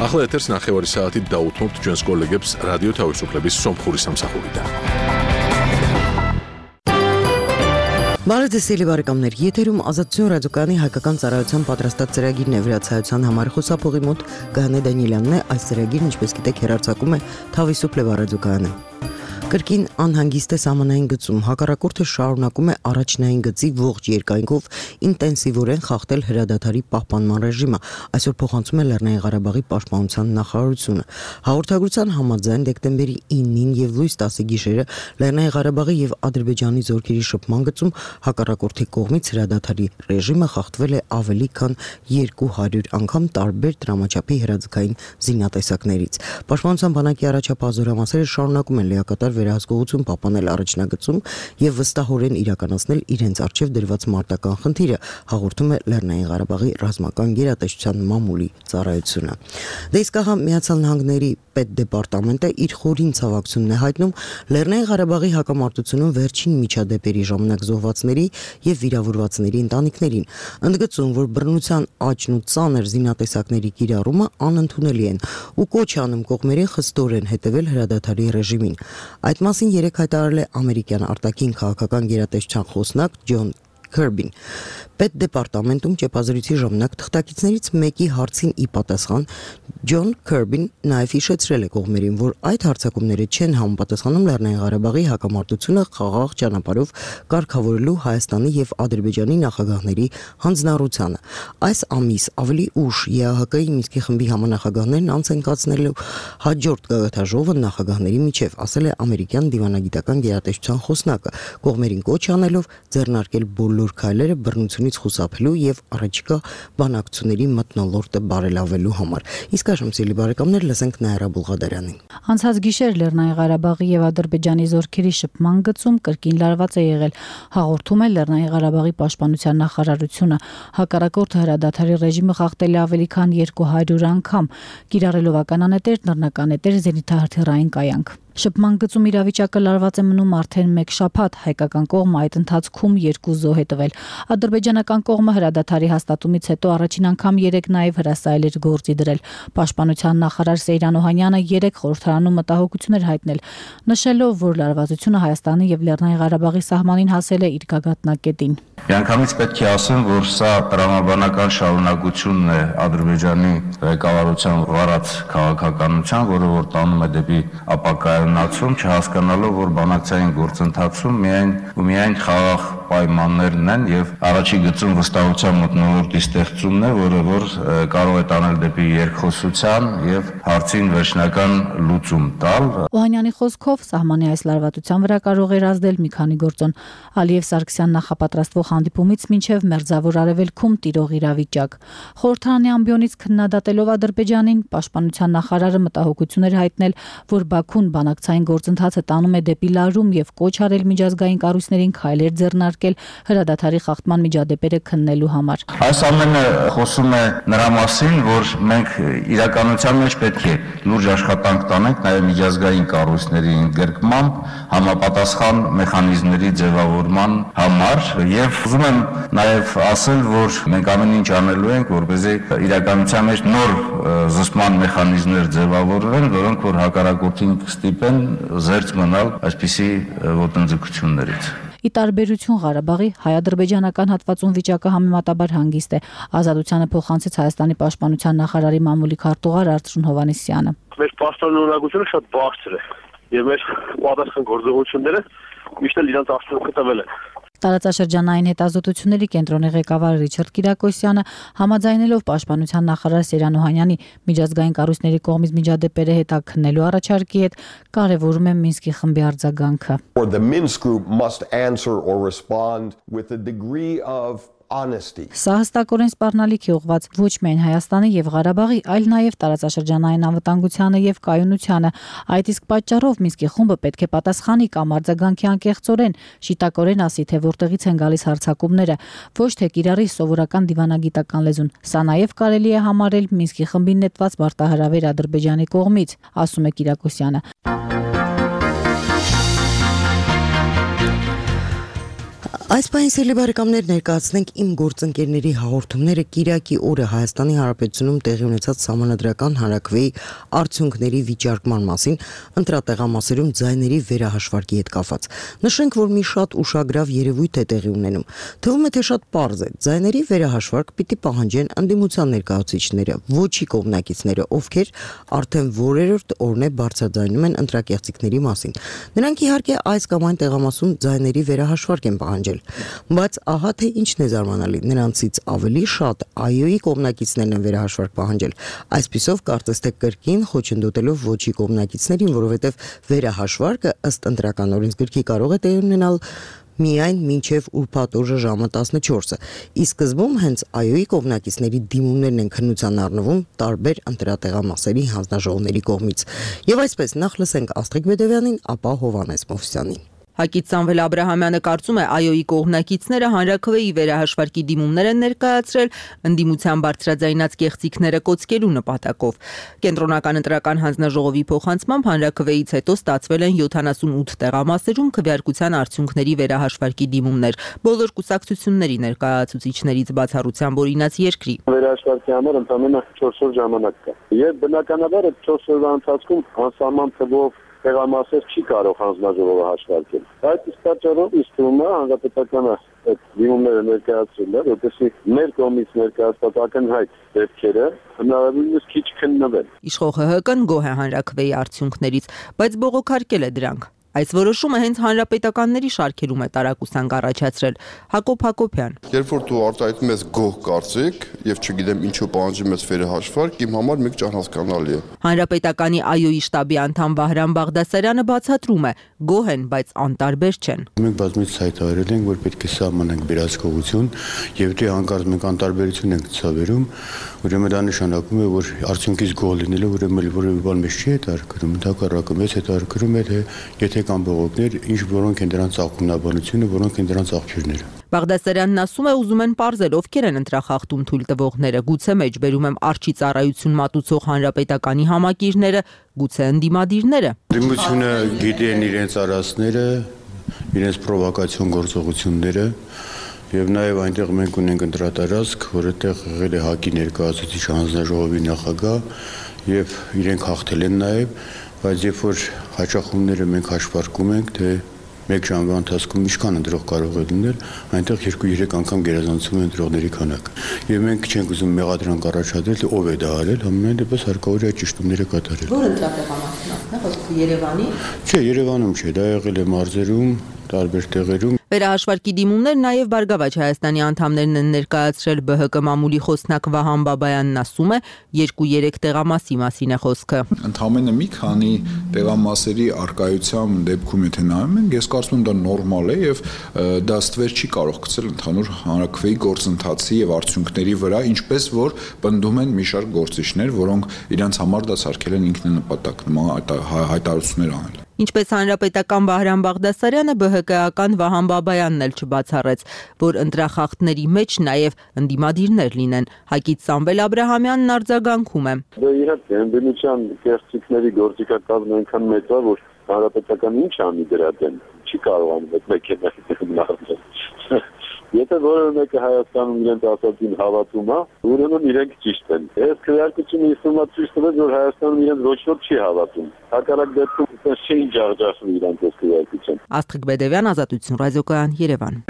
ახლა ეთერს ნახევარი საათით დაუთმობთ ჩვენს კოლეგებს რადიო თავისუფლების სომხური სამსახურიდან. Բարեձեզ բարեկամներ, եթերում Ազատություն ռադիոկայանի հայկական ծառայության պատրաստած ծրագիրն է վրացայության համար խոսափողի մոտ Գանե Դանիելյանն է, այս ծրագիրն ինչպես գիտեք հեռարձակում է Თავისუფლება ռադիոկայանը։ Կրկին անհանգիստ է սահմանային գծում, հակառակորդը շարունակում է առաջնային գծի ողջ երկայնքով ինտենսիվորեն խախտել հրադադարի պահպանման ռեժիմը, այսօր փոխանցում է Լեռնային Ղարաբաղի պաշտպանության նախարարությունը։ Հաղորդագրության համաձայն դեկտեմբերի 9-ին եւ լույս 10-ի գիշերը Լեռնային Ղարաբաղի եւ Ադրբեջանի զորքերի շփման գծում հակառակորդի կողմից հրադադարի ռեժիմը խախտվել է ավելի քան 200 անգամ տարբեր դրամաչափի հրաձգային զինատեսակներից։ Պաշտպանության բանակի առաջապահ զորամասերը շարունակում են լիակատար վերահսկողություն պահպանել առաջնագծում եւ վստահորեն իրականացնել իրենց արժեվ դրված մարտական խնդիրը, հաղորդում է Լեռնային Ղարաբաղի ռազմական գերատեսչության մամուլի ծառայությունը։ Դե իսկ ահա Միացյալ Նահանգների պետդեպարտամենտը իր խորին ցավակցությունն է հայտնում Լեռնային Ղարաբաղի հակամարտությունում վերջին միջադեպերի ժամանակ զոհվածների եւ վիրավորվածների ընտանիքներին, ընդգծում, որ բռնության աճն ու ծանր զինատեսակների կիրառումը անընդունելի են ու կոչ անում կողմերին խստորեն հետևել հրադադարի ռեժիմին։ Այդ մասին երեկ հայտարարել է ամերիկյան արտաքին քաղաքական գերատեսչության խոսնակ Ջոն Քերբին։ Պետդեպարտամենտում ճեպազրույցի ժամանակ թղթակիցներից մեկի հարցին ի պատասխան Ջոն Քերբին նաև հիշեցրել է կողմերին, որ այդ հարձակումները չեն համապատասխանում Լեռնային Ղարաբաղի հակամարտությունը խաղաղ ճանապարհով կարգավորելու Հայաստանի եւ Ադրբեջանի նախագահների հանձնառությանը։ Այս ամիս ավելի ուշ ԵԱՀԿ-ի Մինսկի խմբի համանախագահներն անց են կացնելու հաջորդ գագաթաժողովը նախագահների միջև, ասել է ամերիկյան դիվանագիտական գերատեսչության խոսնակը, կողմերին կոչ անելով ձեռնարկել բոլոր քայլերը բռնությունից խուսափելու եւ առաջիկա բանակցությունների մթնոլորտը բարելավելու համար։ Իսկ այժմ սիրելի բարեկամներ, լսենք Նաիրա Բուլղադարյանին։ Անցած գիշեր Լեռնային Ղարաբաղի եւ Ադրբեջանի զորքերի շփման գծում կրկին լարված է եղել, հաղորդում է Լեռնային Ղարաբաղի պաշտպանության նախարարությունը։ Հակառակորդը հրադադարի ռեժիմը խախտել է ավելի քան 200 անգամ, կիրառելով ականանետեր, նռնականետեր, զենիթահրթիռային կայանք։ Շփման գծում իրավիճակը լարված է մնում արդեն 1 շաբաթ, հայկական կողմը այդ ընթացքում 2 զոհ է տվել։ Ադրբեջանական կողմը հրադադարի հաստատումից հետո առաջին անգամ 3 նաև հրասայել էր գործի դրել։ Պաշտպանության նախարար Սեյրան Օհանյանը 3 խորհրդարանում մտահոգություն էր հայտնել, նշելով, որ լարվածությունը Հայաստանի եւ Լեռնային Ղարաբաղի սահմանին հասել է իր գագաթնակետին։ Միանգամից պետք է ասեմ, որ սա տրամաբանական շարունակությունն է Ադրբեջանի ղեկավարության վարած քաղաքականության, որը որ տանում է դեպի ապակայունացում, չհասկանալով, որ բանակցային գործընթացում միայն խաղաղ պայմաններն են եւ առաջի գծում վստահության մթնոլորտի ստեղծումն է, որը որ կարող է տանել դեպի երկխոսության եւ հարցին վերջնական լուծում տալ։ Օհանյանի խոսքով սահմանի այս լարվածության վրա կարող էր ազդել մի քանի գործոն։ Ալիև Սարգսյան նախապատրաստվող հանդիպումից մինչև Մերձավոր Արևելքում տիրող իրավիճակ։ Խորհրդարանի ամբիոնից քննադատելով Ադրբեջանին, պաշտպանության նախարարը մտահոգություն էր հայտնել, որ Բաքուն բանակցային գործընթացը տանում է դեպի լարում եւ կոչ արել միջազգային կառույցներին քայլեր ձեռնարկել հրադադարի խախտման միջադեպերը քննելու համար։ Այս ամենը խոսում է նրա մասին, որ մենք իրականության մեջ պետք է լուրջ աշխատանք տանենք նաեւ միջազգային կառույցների ընդգրկմամբ, համապատասխան մեխանիզմների ձևավորման համար եւ ուզում եմ նաեւ ասել, որ մենք ամեն ինչ անելու ենք, որպեսզի իրականության մեջ նոր զսպման մեխանիզմներ ձևավորվեն, որոնք որ հակառակորդին կստիպեն զերծ մնալ այսպիսի ոտնձգություններից։ Ի տարբերություն Ղարաբաղի, հայ-ադրբեջանական հատվածում վիճակը համեմատաբար հանգիստ է։ Ազատությանը փոխանցեց Հայաստանի պաշտպանության նախարարի մամուլի քարտուղար Արծրուն Հովհաննիսյանը։ Մեր պաշտպանողությունը շատ բարձր է եւ մեր պատասխան գործողությունները միշտ իրենց արդյունքը տվել են։ Տարածաշրջանային հետազոտությունների կենտրոնի ղեկավար Ռիչարդ Կիրակոսյանը համաձայնելով պաշտպանության նախարար Սեյրան Օհանյանի միջազգային կառույցների կողմից միջադեպերը հետաքննելու առաջարկի հետ կարևորում է Մինսկի խմբի արձագանքը։ The Minsk group must answer or respond with a degree of Սա հստակորեն սպառնալիք է ուղղված ոչ միայն Հայաստանի եւ Ղարաբաղի, այլ նաեւ տարածաշրջանային անվտանգությանը եւ կայունությանը։ Այդ իսկ պատճառով Մինսկի խումբը պետք է պատասխանի կամ արձագանքի անկեղծորեն, շիտակորեն ասի, թե որտեղից են գալիս հարձակումները, ոչ թե կիրառի սովորական դիվանագիտական լեզուն։ Սա նաեւ կարելի է համարել Մինսկի խմբին նետված մարտահրավեր Ադրբեջանի կողմից, ասում է Կիրակոսյանը։ Այս պահին սիրելի բարեկամներ ներկայացնենք իմ գործընկերների հաղորդումները Կիրակի օրը Հայաստանի Հանրապետությունում տեղի ունեցած սահմանադրական հանրաքվեի արդյունքների վիճարկման մասին ընտրատեղամասերում ձայների վերահաշվարկի հետ կապված։ Նշենք, որ մի շատ ուշագրավ երևույթ է տեղի ունենում։ Թվում է, թե շատ պարզ է։ Ձայների վերահաշվարկ պիտի պահանջեն ընդդիմության ներկայացուցիչները, ոչի կողմնակիցները, ովքեր արդեն որերորդ օրն է բարձրաձայնում են ընտրակեղծիքների մասին։ Նրանք իհարկե այս կամ այն տեղամասում ձայների վերահաշվարկ են պահանջել։ Բայց ահա թե ինչն է զարմանալի, նրանցից ավելի շատ ԱՅՈ-ի կողմնակիցներն են վերահաշվարկ պահանջել։ Այսպիսով կարծես թե կրկին խոչընդոտելով ոչի կողմնակիցներին, որովհետև վերահաշվարկը ըստ ընտրական օրենսգրքի կարող է տեղի ունենալ միայն մինչև ուրբաթ օրը ժամը 14-ը։ Ի սկզբում հենց ԱՅՈ-ի կողմնակիցների դիմումներն են քննության առնվում տարբեր ընտրատեղամասերի հանձնաժողովների կողմից։ Եվ այսպես նախ լսենք Աստղիկ Բեդևյանին, ապա Հովհաննես Մովսյանին։ Հակից Սամվել Աբրահամյանը կարծում է ԱՅՈ-ի կողմնակիցները հանրաքվեի վերահաշվարկի դիմումներ են ներկայացրել ընդդիմության բարձրաձայնած կեղծիքները կոծկելու նպատակով։ Կենտրոնական ընտրական հանձնաժողովի փոխանցմամբ հանրաքվեից հետո ստացվել են 78 տեղամասերում քվեարկության արդյունքների վերահաշվարկի դիմումներ։ Բոլոր կուսակցությունների ներկայացուցիչներից բացառությամբ օրինաց երկրի։ Վերահաշվարկի համար ընդամենը 4 օր ժամանակ կա։ Եվ բնականաբար այդ 4 օրվա ընթացքում անսահման թվով տեղամասեր չի կարող հանձնաժողովը հաշվարկել։ Այդ իսկ պատճառով իսկ թվում է հանրապետականը այդ դիմումները ներկայացրել է, որպեսզի մեր կողմից ներկայացված ակնհայտ դեպքերը հնարավորինս քիչ քննվեն։ Իշխող ՀՀԿ-ն գոհ է հանրաքվեի արդյունքներից, բայց բողոքարկել է դրանք։ Այս որոշումը հենց հանրապետականների շարքերում է տարակուսանք առաջացրել։ Հակոբ Հակոբյան։ Երբ որ դու արտահայտում ես գոհ կարծիք եւ չգիտեմ ինչու պահանջում ես վերահաշվարկ, իմ համար մեկ չհասկանալի է։ Հանրապետականի ԱՅՈ-ի շտաբի անդամ Վահրամ Բաղդասարյանը բացատրում է. գոհ են, բայց անտարբեր չեն։ Մենք բազմից հայտարարել ենք, որ պետք է սահմանենք վերահսկողություն, եւ դե հանկարծ մենք անտարբերություն ենք ցավերում, ուրեմն դա նշանակում է, որ արդյունքից գոհ լինելը ուրեմն որևէ բան մեզ չի հետաքրքրում, ընդհակառակը մեզ հետաքրքրում է, թե եթե կան բողոքներ, ինչ որոնք են դրանց աղբյուրները, որոնք են դրանց աղբյուրները։ Բաղդասարյանն ասում է, ուզում են պարզել ովքեր են ընտրախախտում թույլ տվողները, գուցե մեջբերում եմ արջի ծառայություն մատուցող հանրապետականի համակիրները, գուցե ընդդիմադիրները։ Ընդդիմությունը գիտեն իրենց արածները, իրենց պրովոկացիոն գործողությունները, եւ նաեւ այնտեղ մենք ունենք ընտրատարածք, որտեղ եղել է ՀԱԿ-ի ներկայացուցիչ հանձնաժողովի նախագահ եւ իրենք հաղթել են նաեւ, բայց երբ որ հաճախումները մենք հաշվարկում ենք, թե մեկ ժամվա ընթացքում ինչքան ընտրող կարող է լինել, այնտեղ 2-3 անգամ գերազանցում է ընտրողների քանակը։ Եվ մենք չենք ուզում մեղադրանք առաջադրել, թե ով է դա արել, համենայն դեպս հարկավոր է ճշտումները կատարել։ Ո՞ր ընտրատեղամասն է, խոսքը Երևանի։ Չէ, Երևանում չէ, դա եղել է մարզերում, տարբեր տեղերում։ Վերահաշվարկի դիմումներ նաև Բարգավաճ Հայաստանի անդամներն են ներկայացրել ԲՀԿ մամուլի խոսնակ Վահան Բաբայանն ասում է 2-3 տեղամասի մասին է խոսքը։ Ընդհանրապես մի քանի տեղամասերի արկայության դեպքում եթե նայում ենք, ես կարծում եմ դա նորմալ է եւ դա ստվեր չի կարող գցել ընդհանուր հանրաքվեի գործընթացի եւ արդյունքների վրա, ինչպես որ պնդում են մի շարք գործիչներ, որոնք իրենց համար դա սարքել են ինքնանպատակ նման հայտարարություններ անել։ Ինչպես հանրապետական Վահրամ Բաղդասարյանը ԲՀԿ-ական Վահան Բաբայանն էլ չբացառեց, որ ընտրախախտների մեջ նաև ընդդիմադիրներ լինեն։ Հակից Սամվել Աբրահամյանն արձագանքում է։ Դա իհարկե ընդդիմության կեղծիքների գործիքակազմը այնքան մեծ է, որ հանրապետական ինչ անի դրա դեմ, չի կարողանում այդ մեկը։ Եթե որևէ մեկը Հայաստանում իրենց ասածին հավատում է, ուրեմն իրենք ճիշտ են։ Այս քվեարկությունը իսկույն ցույց տվեց, որ Հայաստանում իրենց ոչ ոք չի հավատում։ Հակառակ դեպքում չէին ջախջախվում իրենց այս քվեարկության։ Աստղիկ Բեդևյան, Ազատություն ռադիոկայան, Երևան։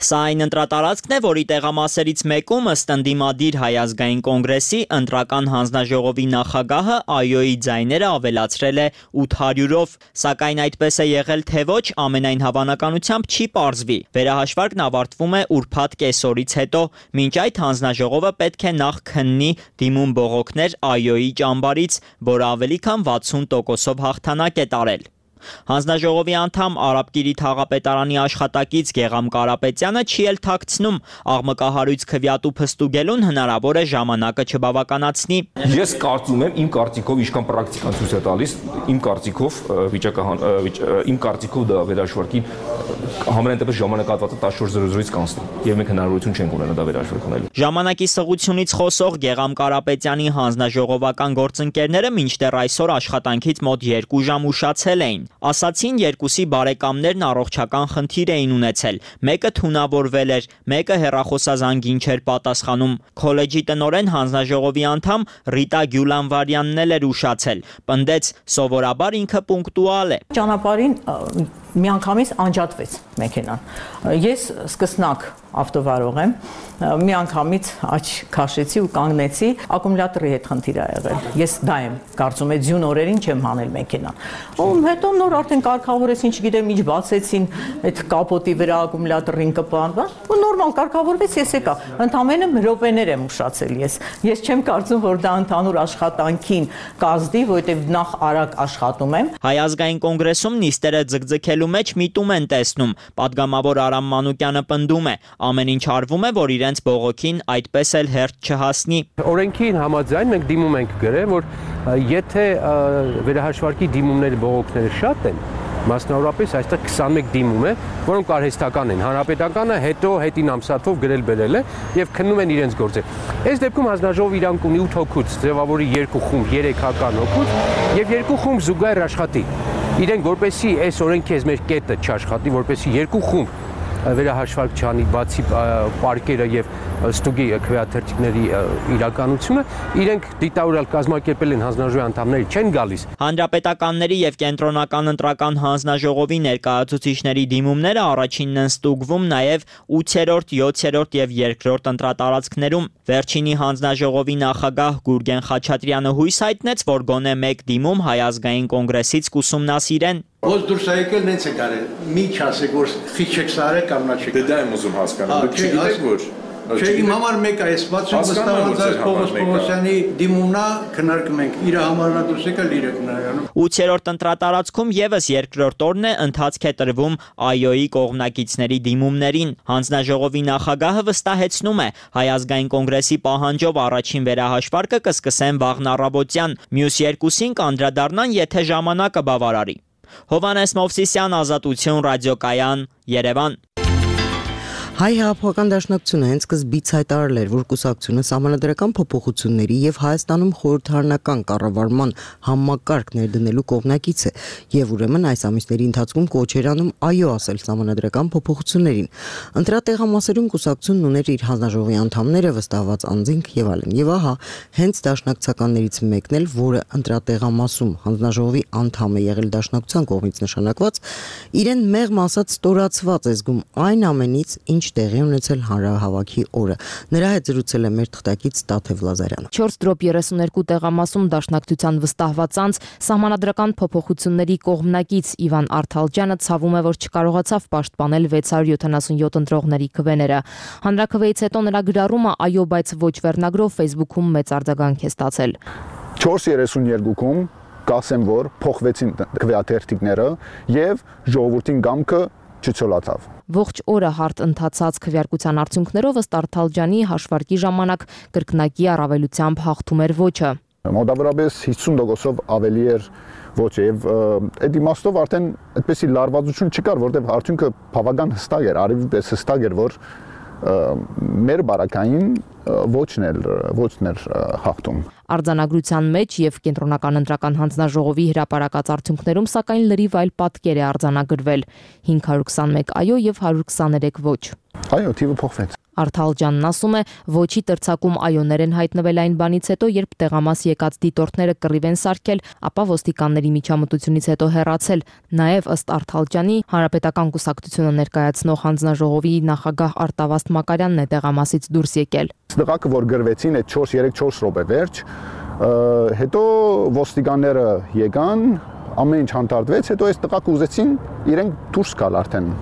Սա այն ընտրատարածքն է, որի տեղամասերից մեկում ըստ ընդդիմադիր Հայ ազգային կոնգրեսի ընտրական հանձնաժողովի նախագահը ԱՅՈ-ի ձայները ավելացրել է 800-ով, սակայն այդպես է եղել թե ոչ, ամենայն հավանականությամբ չի պարզվի։ Վերահաշվարկն ավարտվում է ուրբաթ կեսօրից հետո, մինչ այդ հանձնաժողովը պետք է նախ քննի դիմում բողոքներ ԱՅՈ-ի ճամբարից, որը ավելի քան 60%-ով հաղթանակ է տարել։ Հանձնաժողովի անդամ Արաբկիրի թաղապետարանի աշխատակից Գեղամ Կարապետյանը չի էլ թաքցնում աղմկահարույց քվեատու փստուգելուն հնարավոր է ժամանակը չբավականացնի։ Ես կարծում եմ, իմ կարծիքով ինչքան պրակտիկան ցույց է տալիս, իմ կարծիքով դա վերահաշվարկին համենայն դեպս ժամանակահատվածը 14:00-ից կանցնի եւ մենք հնարավորություն չենք ունենա դա վերահաշվեք ունենալու։ Ժամանակի սղությունից խոսող Գեգամ Կարապետյանի հանձնաժողովական գործընկերները մինչդեռ այսօր աշխատանքից մոտ 2 ժամ ուշացել էին։ Ասացին երկուսի բարեկամներն առողջական խնդիր էին ունեցել։ Մեկը թունավորվել էր, մեկը հեռախոսազանգին չէր պատասխանում։ Քոլեջի տնօրեն հանձնաժողովի անդամ Ռիտա Գյուլանվարյանն էլ էր ուշացել։ Պնդեց, սովորաբար ինքը պունկտուալ է։ Ճանապարհին միանգամից անջատվեց մեքենան։ Ես սկսնակ ավտովարող եմ, միանգամից աչ քաշեցի ու կանգնեցի, ակումուլյատորի հետ խնդիր ա եղել։ Ես դա եմ կարծում եմ ձյուն օրերին չեմ հանել մեքենան։ Ու հետո նոր արդեն կարգավորեցին, չգիտեմ ինչ բացեցին, այդ կապոտի վրա ակումուլյատորին կպան, ու նորմալ կարգավորվեց, ես եկա։ Ընդամենը րոպեներ եմ ուշացել ես։ Ես չեմ կարծում, որ դա ընդհանուր աշխատանքին կազդի, որովհետև նախ արագ աշխատում եմ։ Հայ ազգային կոնգրեսում նիստերը ձգձգելու մեջ միտում են տեսնում։ Պատգամավոր Արամ Մանուկյանը պնդում է, ամեն ինչ արվում է, որ իրենց բողոքին այդպես էլ հերթ չհասնի։ Օրենքին համաձայն մենք դիմում ենք գրել, որ եթե վերահաշվարկի դիմումները բողոքները շատ են, մասնավորապես այստեղ 21 դիմում է, որոնք արհեստական են։ Հանրապետականը հետո հետին ամսաթվով գրել բերել է եւ քննում են իրենց գործը։ Այս դեպքում հանձնաժողովը իրանք ունի 8 հոգուց, ձևավորի 2 խումբ, 3 հական հոգուց եւ 2 խումբ զուգահեռ աշխատի։ Իրենք որպեսի այս օրենքի այս մեր կետը չաշխատի, որպեսի 2 խումբ վերահաշվարկ չանի, բացի պարկերը եւ ստուգի քվեաթերթիկների իրականությունը, իրենք դիտավորյալ կազմակերպել են հանձնաժողովի անդամների չեն գալիս։ Հանրապետականների եւ կենտրոնական ընտրական հանձնաժողովի ներկայացուցիչների դիմումները առաջինն են ստուգվում նաեւ 8-րդ, 7-րդ եւ 2-րդ ընտրատարածքներում։ Վերջինի հանձնաժողովի նախագահ Գուրգեն Խաչատրյանը հույս հայտնեց, որ գոնե մեկ դիմում Հայ ազգային կոնգրեսից կուսումնասիրեն։ Ոնց դուրս եկել նենց է կարել, մի չասեք, որ խիչ չեք սարել կամ նա չեք։ Դա եմ ուզում հասկանալ, դուք չգիտեք որ։ Չէ, իմ համար մեկ է, այս 60 Պողոս Պողոսյանի դիմումն է, քննարկում ենք, իր համարն դուրս եկել, իրը քննարկում։ 8-րդ ընտրատարածքում եւս երկրորդ օրն է ընթացք է տրվում ԱՅՈ-ի կողմնակիցների դիմումներին։ Հանձնաժողովի նախագահը վստահեցնում է, Հայ ազգային կոնգրեսի պահանջով առաջին վերահաշվարկը կսկսեն վաղն առավոտյան, մյուս երկուսին կանդրադառնան, եթե ժամանակը բավարարի։ Հովանես Մովսիսյան, Ազատություն, Ռադիոկայան, Երևան։ Հայ հեղափոխական դաշնակցությունը հենց սկզբից հայտարարել էր, որ կուսակցությունը սահմանադրական փոփոխությունների եւ Հայաստանում խորհրդարանական կառավարման համակարգ ներդնելու կողմնակից է եւ ուրեմն այս ամիսների ընթացքում կոչ էր անում այո ասել սահմանադրական փոփոխություններին։ Ընտրատեղամասերում կուսակցությունն ուներ իր հանձնաժողովի անդամները, վստահված անձինք եւ այլն։ Եվ ահա հենց դաշնակցականներից մեկն էլ, որը ընտրատեղամասում հանձնաժողովի անդամ է եղել դաշնակցության կողմից նշանակված, իրեն մեղմ ասած ստորացված է զգում այն ամենից, ինչ տեղի ունեցել հանրահավաքի օրը։ Նրա հետ զրուցել է մեր թղթակից Տաթև Լազարյանը։ 4-32 տեղամասում դաշնակցության վստահված անձ սահմանադրական փոփոխությունների կողմնակից Իվան Արթալջյանը ցավում է, որ չկարողացավ պաշտպանել 677 ընտրողների քվեները։ Հանրաքվեից հետո նրա գրառումը այո, բայց ոչ վերնագրով Facebook-ում մեծ արձագանք է ստացել։ 432-ում կասեմ, որ փոխվեցին քվեաթերթիկները եւ ժողովրդին գամքը չցոլացավ։ Ողջ օրը հարթ ընթացած քվեարկության արդյունքներով ըստ Արթալջյանի հաշվարկի ժամանակ կրկնակի առավելությամբ հաղթում էր ոչը։ Մոտավորապես 50%-ով ավելի էր ոչը եւ այդ իմաստով արդեն այդպեսի լարվածություն չկար, որտեղ արդյունքը բավական հստակ էր, արևի պես հստակ էր, որ մեր բարակային ոչն էր հաղթում։ Արձանագրության մեջ եւ կենտրոնական ընտրական հանձնաժողովի հրապարակած արդյունքներում սակայն լրիվ այլ պատկեր է արձանագրվել՝ 521 այո եւ 123 ոչ։ Այո, թիվը փոխվեց։ Արթալջյանն ասում է, ոչի տրցակում այոներ են հայտնվել այն բանից հետո, երբ տեղամաս եկած դիտորդները կռիվ են սարքել, ապա ոստիկանների միջամտությունից հետո հեռացել։ Նաև ըստ Արթալջյանի, Հանրապետական կուսակցությունը ներկայացնող հանձնաժողովի նախագահ Արտավազդ Մակարյանն է տեղամասից դուրս եկել։ Դղակը, որ գրվեցին այդ 4-3-4 րոպե վերջ, հետո ոստիկանները եկան, ամեն ինչ հանդարտվեց, հետո այս տղաք ուզեցին իրենք դուրս գալ արդեն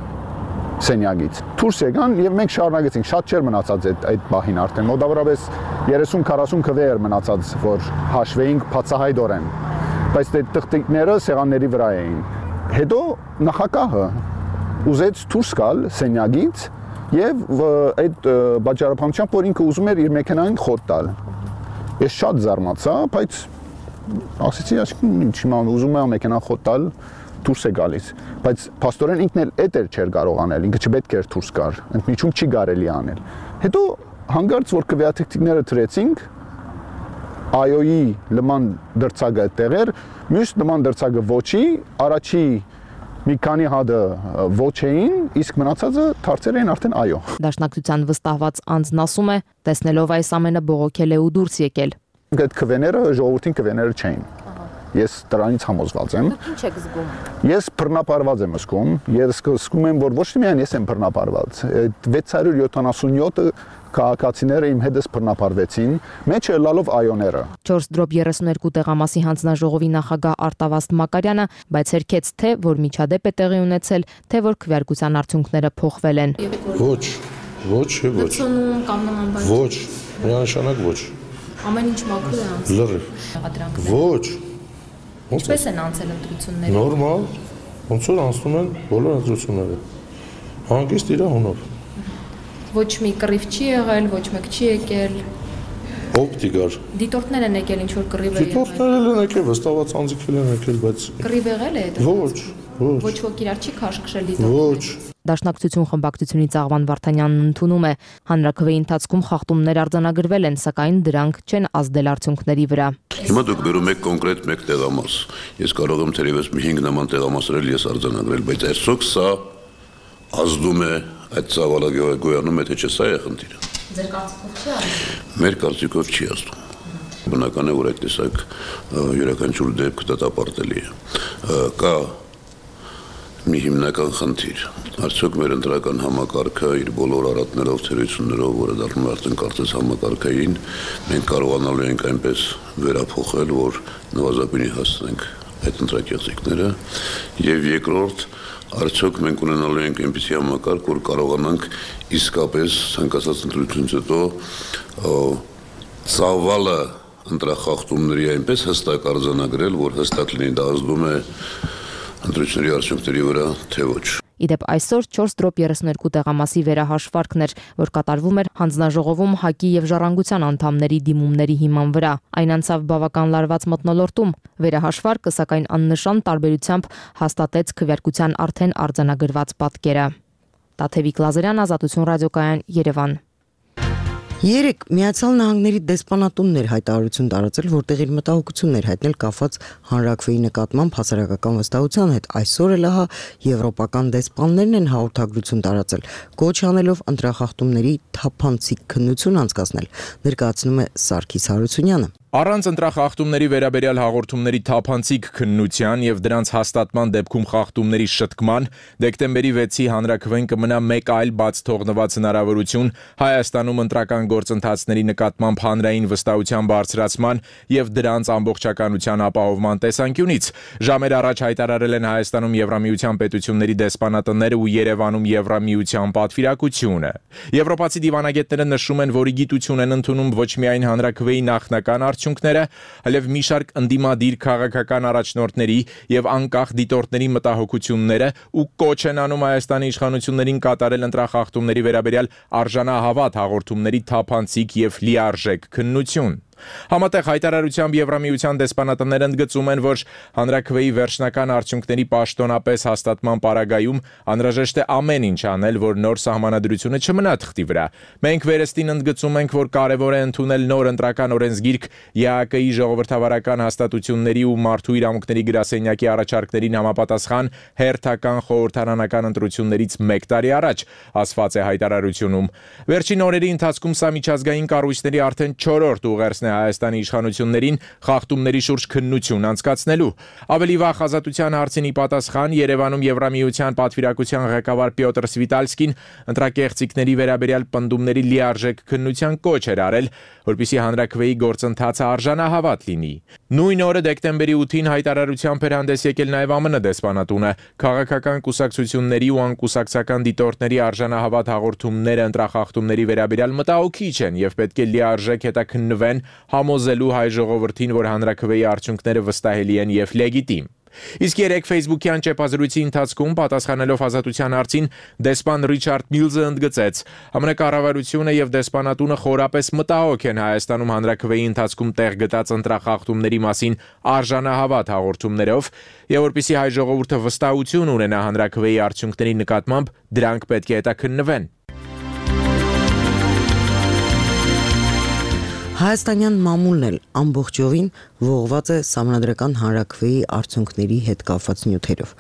սենյակից։ Դուրս եկան եւ մենք շարունակեցինք, շատ չէր մնացած այդ բահին արդեն, մոտավորապես 30-40 քվե էր մնացած, որ հաշվեինք բացահայտորեն, բայց այդ տղտիկները սեղանների վրա էին։ Հետո նախագահը ուզեց դուրս գալ սենյակից եւ այդ բաժարապանությամբ, որ ինքը ուզում էր իր մեքենային խոտ տալ։ Ես շատ զարմացա, բայց ասեցի, ինչի՞ ման ուզում եմ մեքենան խոտ տալ, դուրս է գալիս, բայց փաստորեն ինքն էլ էդ չէր կարող անել, ինքը չպետք էր դուրս գար, ընդմիջում չի կարելի անել։ Հետո հանկարծ որ քվեաթղթիկները դրեցինք, այոյի լման դրցակը այդտեղ էր, մյուս լման դրցակը ոչի, առաջի մի քանի հատը ոչ էին, իսկ մնացածը դարձել էին արդեն այո։ Դաշնակցության վստահված անձն ասում է, տեսնելով այս ամենը բողոքել է ու դուրս եկել։ Այդ քվեները ժողովրդին քվեները չէին։ Ես դրանից համոզված եմ։ Ինչ եք զգում։ Ես բռնապարված եմ զգում, ես զգում եմ, որ ոչ միայն ես եմ բռնապարված, 677 քաղաքացիները իմ հետս բռնապարվեցին, մեջը լալով այոները։ 4/32 տեղամասի հանձնաժողովի նախագահ Արտավազդ Մակարյանը բացերքեց թե որ միջադեպ է տեղի ունեցել, թե որ քվեարկության արդյունքները փոխվել են։ Ոչ, ոչ։ Կամ նման բան։ Ոչ, միանշանակ ոչ։ Ամեն ինչ մաքուր է անցել։ Լրիվ։ Ոչ։ Ինչպես են անցել ընտրությունները։ Նորմալ, ոնց որ անցնում են բոլոր ընտրությունները։ Հանգիստ իր հունով։ Ոչ մի կռիվ չի եղել, ոչ մեկ չի եկել։ Օպտիկար։ Դիտորդներ են եկել, ինչ որ կռիվ է եղել։ Դիտորդներ են եկել, վստահված անձիկել են եկել, բայց կռիվ եղել է այդ։ Ոչ։ Ոչ ոք իրար չի քաշքշել դիտորդներին։ Ոչ։ Դաշնակցություն խմբակցությունից Աղվան Վարդանյանն ընդունում է, հանրաքվեի ընթացքում խախտումներ արձանագրվել են, սակայն դրանք չեն ազդել արդյունքների վրա։ Հիմա դուք բերում եք կոնկրետ մեկ տեղամաս։ Ես կարող եմ թերևս մի 5 նման տեղամասեր ես արձանագրել, բայց այսօք սա ազդում է այդ ծավալը գոյանում է, թե չէ, սա է խնդիրը։ Ձեր կարծիքով չի ազդում։ Մեր կարծիքով չի ազդում։ Բնական է, որ այդ տեսակ յուրաքանչյուր դեպք դատապարտելի է։ Կա մի հիմնական խնդիր։ Արդյոք մեր ընտրական համակարգը իր բոլոր առատներով, թերություններով, որը դառնում է արդեն կարծես համակարգային, մենք կարողանալու ենք այնպես վերափոխել, որ նվազագույնի հասնենք այդ ընտրակեղծիքները, եւ երկրորդ, արդյոք մենք ունենալու ենք այնպիսի համակարգ, որ կարողանանք իսկապես ցանկացած ընտրությունից հետո ծավալը ընտրախախտումների այնպես հստակ արձանագրել, որ հստակ լինի դա ազդում է ընտրությունների արդյունքների վրա, թե ոչ։ Իդեպ այսօր 4/32 տեղամասի վերահաշվարկն էր, որ կատարվում էր հանձնաժողովում ՀԱԿ-ի եւ Ժառանգության անդամների դիմումների հիման վրա։ Այն անցավ բավական լարված մթնոլորտում։ Վերահաշվարկը սակայն աննշան տարբերությամբ հաստատեց քվեարկության արդեն արձանագրված պատկերը։ Տաթևիկ Լազարյան, Ազատություն ռադիոկայան, Երևան։ Երեք Միացյալ Նահանգների դեսպանատունն էր հայտարարություն տարածել, որտեղ իր մտահոգությունն էր հայտնել կապված հանրաքվեի նկատմամբ հասարակական վստահության հետ։ Այսօր էլ ահա եվրոպական դեսպաններն են հաղորդագրություն տարածել, կոչ անելով ընտրախախտումների թափանցիկ քննություն անցկացնել, ներկայացնում է Սարգիս Հարությունյանը։ Առանց ընտրախախտումների վերաբերյալ հաղորդումների թափանցիկ քննության եւ դրանց հաստատման դեպքում խախտումների շտկման դեկտեմբերի 6-ի հանրաքվեն կմնա մեկ այլ բաց թողնված հնարավորություն Հայաստանում ընտրական գործընթացների նկատմամբ հանրային վստահության բարձրացման եւ դրանց ամբողջականության ապահովման տեսանկյունից։ Ժամեր առաջ հայտարարել են Հայաստանում Եվրամիության պետությունների դեսպանատները ու Երևանում Եվրամիության պատվիրակությունը։ Եվրոպացի դիվանագետները նշում են, որ գիտություն են ընդունում ոչ միայն հանրաքվեի նախնական արդյունքները, այլև մի շարք ընդդիմադիր քաղաքական առաջնորդների եւ անկախ դիտորդների մտահոգությունները ու կոչ են անում Հայաստանի իշխանություններին կատարել ընտրախախտումների վերաբերյալ արժանահավատ հաղորդումների թափանցիկ եւ լիարժեք քննություն։ Համատեղ հայտարարությամբ Եվրամիության դեսպանատները ընդգծում են, որ հանրաքվեի վերջնական արդյունքների պաշտոնապես հաստատման պարագայում անհրաժեշտ է ամեն ինչ անել, որ նոր սահմանադրությունը չմնա թղթի վրա։ Մենք վերստին ընդգծում ենք, որ կարևոր է ընդունել նոր ընտրական օրենսգիրք ԵԱԿ-ի ժողովրդավարական հաստատությունների ու մարդու իրավունքների գրասենյակի առաջարկներին համապատասխան հերթական խորհրդարանական ընտրություններից 1 տարի առաջ, ասված է հայտարարությունում։ Վերջին օրերի ընթացքում սա միջազգային կառույցների արդեն 4-րդ ուղերձն Հայաստանի իշխանություններին խախտումների շուրջ քննություն անցկացնելու։ Ավելի վաղ Ազատության հարցին ի պատասխան Երևանում Եվրամիության պատվիրակության ղեկավար Պյոտր Սվիտալսկին ընտրակեղծիքների վերաբերյալ պնդումների լիարժեք քննության կոչ էր արել, որպեսզի հանրաքվեի գործընթացը արժանահավատ լինի։ Նույն օրը դեկտեմբերի 8-ին հայտարարությամբ էր հանդես եկել նաև ԱՄՆ դեսպանատունը։ Քաղաքական կուսակցությունների ու անկուսակցական դիտորդների արժանահավատ հաղորդումները ընտրախախտումների վերաբերյալ մտահոգիչ են եւ պետք է լիարժեք հետաքննվեն համոզելու հայ ժողովրդին, որ հանրաքվեի արդյունքները վստահելի են եւ լեգիտիմ։ Իսկ երեք Facebook-յան ճեպազրույցի ընթացքում պատասխանելով Ազատության հարցին դեսպան Ռիչարդ Միլզը ընդգծեց. ԱՄՆ կառավարությունը եւ դեսպանատունը խորապես մտահոգ են Հայաստանում հանրաքվեի ընթացքում տեղ գտած ընտրախախտումների մասին արժանահավատ հաղորդումներով եւ որպեսզի հայ ժողովուրդը վստահություն ունենա հանրաքվեի արդյունքների նկատմամբ, դրանք պետք է հետաքննվեն։ Հայաստանյան մամուլն էլ ամբողջովին ողված է սահմանադրական հանրաքվեի արդյունքների հետ կապված նյութերով։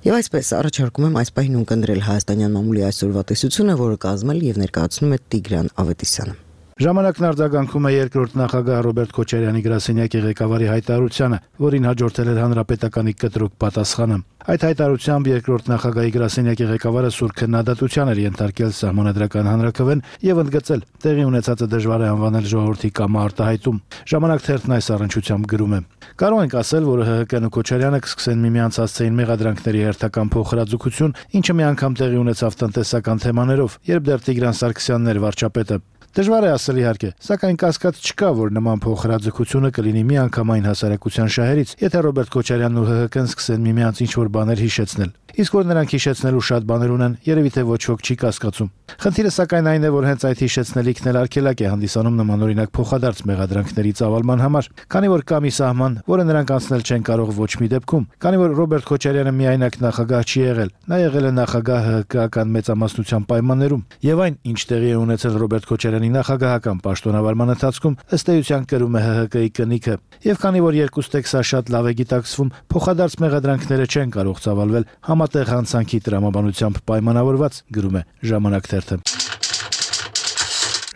Եվ այսպես առաջարկում եմ այս պահին ունկնդրել Հայաստանյան մամուլի այսօրվա տեսությունը, որը կազմել եւ ներկայացնում է Տիգրան Ավետիսյանը։ Ժամանակն արձագանքում է երկրորդ նախագահ Ռոբերտ Քոչարյանի գրասենյակի ղեկավարի հայտարարությանը, որին հաջորդել էր հանրապետականի կտրուկ պատասխանը։ Այդ հայտարարությամբ երկրորդ նախագահի գրասենյակի ղեկավարը սուր քննադատության էր ենթարկել սահմանադրական հանրաքվեն եւ ընդգծել տեղի ունեցածը դժվար է անվանել ժողովրդի կամարտահայտում։ Ժամանակ թերթն այս առնչությամբ գրում է. Կարող ենք ասել, որ ՀՀԿ-ն ու Քոչարյանը կսկսեն միմյանց հասցեին մեղադրանքների հերթական փոխհրաձգություն, ինչը մի անգամ տեղի ունեցավ տնտեսական թեմաներով, երբ դեռ Տիգրան Սարգսյանն էր վարչապետը։ Դժվար է ասել իհարկե, սակայն կասկած չկա, որ նման փոխհրաձգությունը կլինի միանգամայն հասարակության շահերից, եթե Ռոբերտ Քոչարյանն ու ՀՀԿ-ն սկսեն միմյանց ինչ-որ բաներ հիշեցնել։ Իսկ որ նրանք հիշեցնելու շատ բաներ ունեն, երևի թե ոչ ոք չի կասկածում։ Խնդիրը սակայն այն է, որ հենց այդ հիշեցնելիքն էլ արգելակ է հանդիսանում նմանօրինակ փոխադարձ մեղադրանքների ծավալման համար, քանի որ կա մի սահման, որը նրանք անցնել չեն կարող ոչ մի դեպքում, քանի որ Ռոբերտ Քոչարյանը միայնակ նախագահ չի եղել, նա եղել է նախագահ ՀՀԿ-ական մեծամասնության պայմաններում, եւ այն, ինչ տեղի է ունեցել Ռոբերտ Քոչարյանի նախագահական պաշտոնավարման ընթացքում, ըստ էության կրում է ՀՀԿ-ի կնիքը։ Եվ քանի որ երկուստ եք սա շատ լավ է գիտակցվում, փոխադարձ մեղադրանքները չեն կարող ծավալվել համատեղ հանցանքի տրամաբանությամբ պայմանավորված, գրում է Ժամանակ թերթը։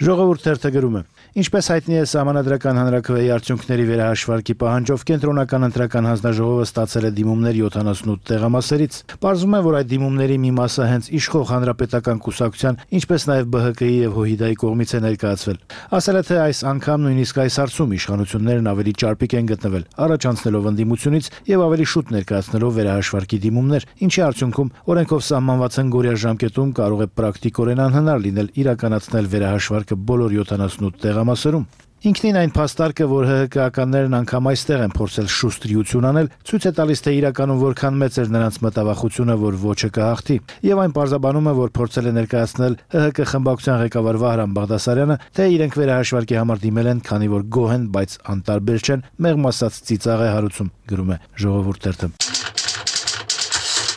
Ժողովուրդ թերթը գրում է. Ինչպես հայտնի է, սահմանադրական հանրաքվեի արդյունքների վերահաշվարկի պահանջով կենտրոնական ընտրական հանձնաժողովը ստացել է դիմումներ 78 տեղամասերից։ Պարզվում է, որ այդ դիմումների մի մասը հենց իշխող հանրապետական կուսակցության, ինչպես նաև ԲՀԿ-ի եւ ՀՅԴ-ի կողմից է ներկայացվել։ Ասել է, թե այս անգամ նույնիսկ այս հարցում իշխանություններն ավելի ճարպիկ են գտնվել, առաջանցնելով ընդդիմությունից եւ ավելի շուտ ներկայացնելով վերահաշվարկի դիմումներ, ինչի արդյունքում օրենքով սահմանված հնգօրյա ժամկետում կարող է պրակտիկորեն անհնար լինել իրականացնել վերահաշվարկը բոլոր 78 տեղամասերում։ Ինքնին այն փաստարկը, որ ՀՀԿ-ականներն անգամ այստեղ են փորձել շուստրիություն անել, ցույց է տալիս, թե իրականում որքան մեծ էր նրանց մտավախությունը, որ ոչը կհաղթի, եւ այն պարզաբանում է, որ փորձել է ներկայացնել ՀՀԿ խմբակցության ղեկավար Վահրամ Բաղդասարյանը, թե իրենք վերահաշվարկի համար դիմել են, քանի որ գոհ են, բայց անտարբեր չեն, մեղմ ասած ծիծաղ է հարուցում, գրում է Ժողովուրդ թերթը։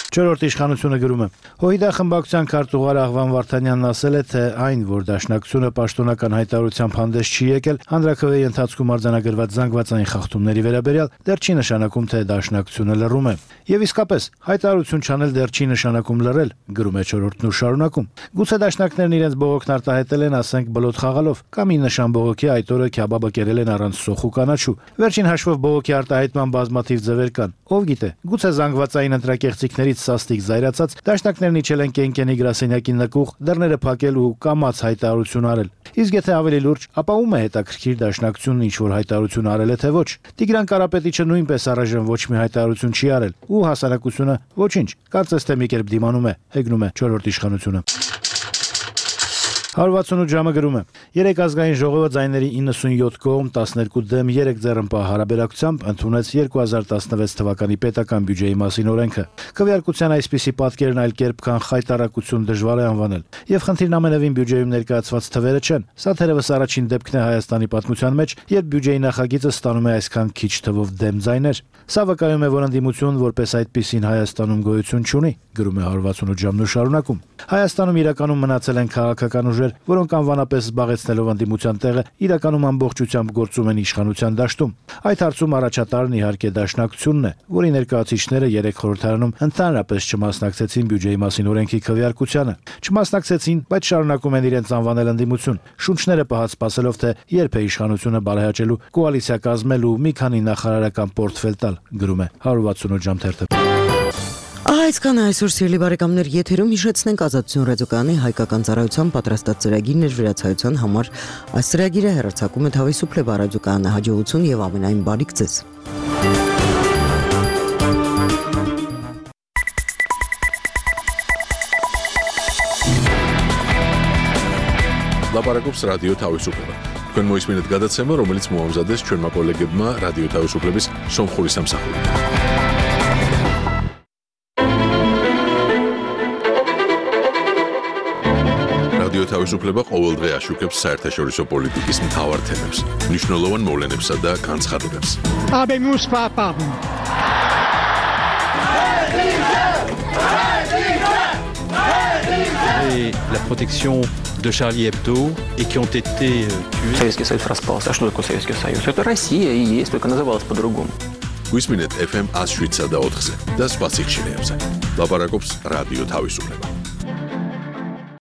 Չորրորդ իշխանությունը գրում է. ՀՅԴ խմբակցության քարտուղար Աղվան Վարդանյանն ասել է, թե այն, որ Դաշնակցությունը պաշտոնական հայտարարությամբ հանդես չի եկել հանրաքվեի ընթացքում արձանագրված զանգվածային խախտումների վերաբերյալ, դեռ չի նշանակում, թե Դաշնակցությունը լռում է։ Եվ իսկապես, հայտարարություն չանել դեռ չի նշանակում լռել, գրում է Չորրորդն ու շարունակում։ Գուցե դաշնակներն իրենց բողոքն արտահայտել են, ասենք, բլոթ խաղալով, կամ ի նշան բողոքի այդ օրը քյաբաբը կերել են առանց սոխ ու կանաչու։ Վերջին հաշվով բողոքի արտահայտման բազմաթիվ ձևեր կան։ Ով գիտե, գուցե զանգվածային ընտրակեղծիքներից սաստիկ զայրացած դաշնակներն իջել են Կենկենի գրասենյակի նկուղ, դռները փակել ու կամաց հայտարարություն արել։ Իսկ եթե ավելի լուրջ, ապա ում է հետաքրքիր Դաշնակցությունն ինչ որ հայտարարություն արել է թե ոչ։ Տիգրան Կարապետիչը նույնպես առայժմ ոչ մի հայտարարություն չի արել, ու հասարակությունը ոչինչ, կարծես թե մի կերպ դիմանում է, հեգնում է Չորրորդ իշխանությունը։ 168 ժամը գրում է. Երեք ազգային ժողովը ձայների 97 կողմ 12 դեմ 3 ձեռնպահ հարաբերակցությամբ ընդունեց 2016 թվականի պետական բյուջեի մասին օրենքը։ Քվեարկության այսպիսի պատկերն այլ կերպ քան խայտարակություն դժվար է անվանել, եւ խնդիրն ամենևին բյուջեում ներկայացված թվերը չեն։ Սա թերևս առաջին դեպքն է Հայաստանի պատմության մեջ, երբ բյուջեի նախագիծը ստանում է այսքան քիչ թվով դեմ ձայներ։ Սա վկայում է, որ ընդդիմություն որպես այդպիսին Հայաստանում գոյություն չունի, գրում է 168 ժամն ու շարունակում։ Հայաստանում իրականում մնացել են քաղաքական ուժեր, որոնք անվանապես զբաղեցնելով ընդդիմության տեղը իրականում ամբողջությամբ գործում են իշխանության դաշտում։ Այդ հարցում առաջատարն իհարկե Դաշնակցությունն է, որի ներկայացուցիչները 3 խորհրդարանում ընդհանրապես չմասնակցեցին բյուջեի մասին օրենքի քվեարկությանը։ Չմասնակցեցին, բայց շարունակում են իրենց անվանել ընդդիմություն, շունչները պահած սպասելով, թե երբ է իշխանությունը բարեհաճելու, կոալիցիա կազմելու, մի քանի նախարարական պորտֆել տալ, գրում է 168 ժամ թերթը։ Այսքան այսօր սիրելի բարեկամներ, եթերում հիշեցնենք Ազատություն ռադիոկայանի հայկական ծառայության պատրաստած ծրագիրն էր վերացայության համար։ Այս ծրագիրը հեռարձակում է Թավիսուփլե ռադիոկայանը, հաջողություն եւ ամենայն բարիք ձեզ։ Լապարակոպս ռադիո Թավիսուփլե։ Քան մոյս մինուտ գադացեմը, რომელიც մոհամզադես չորմա կոլեգբմա ռադիո Թավիսուփլեբիս Սոմխորիսամ սախորի։ რადიო თავისუფლება ყოველდღე აშუქებს საერთაშორისო პოლიტიკის მთავარ თემებს, მნიშვნელოვან მოვლენებსა და განცხადებებს. Et la protection de Charlie Hebdo et qui ont été tués. Советский Союз распался. А что такое Советский Союз? Это Россия и есть, только называлась по-другому. Გვისმინეთ FM 107 და 4-ზე და სხვა სიხშირეებზე. ლაპარაკობს რადიო თავისუფლება.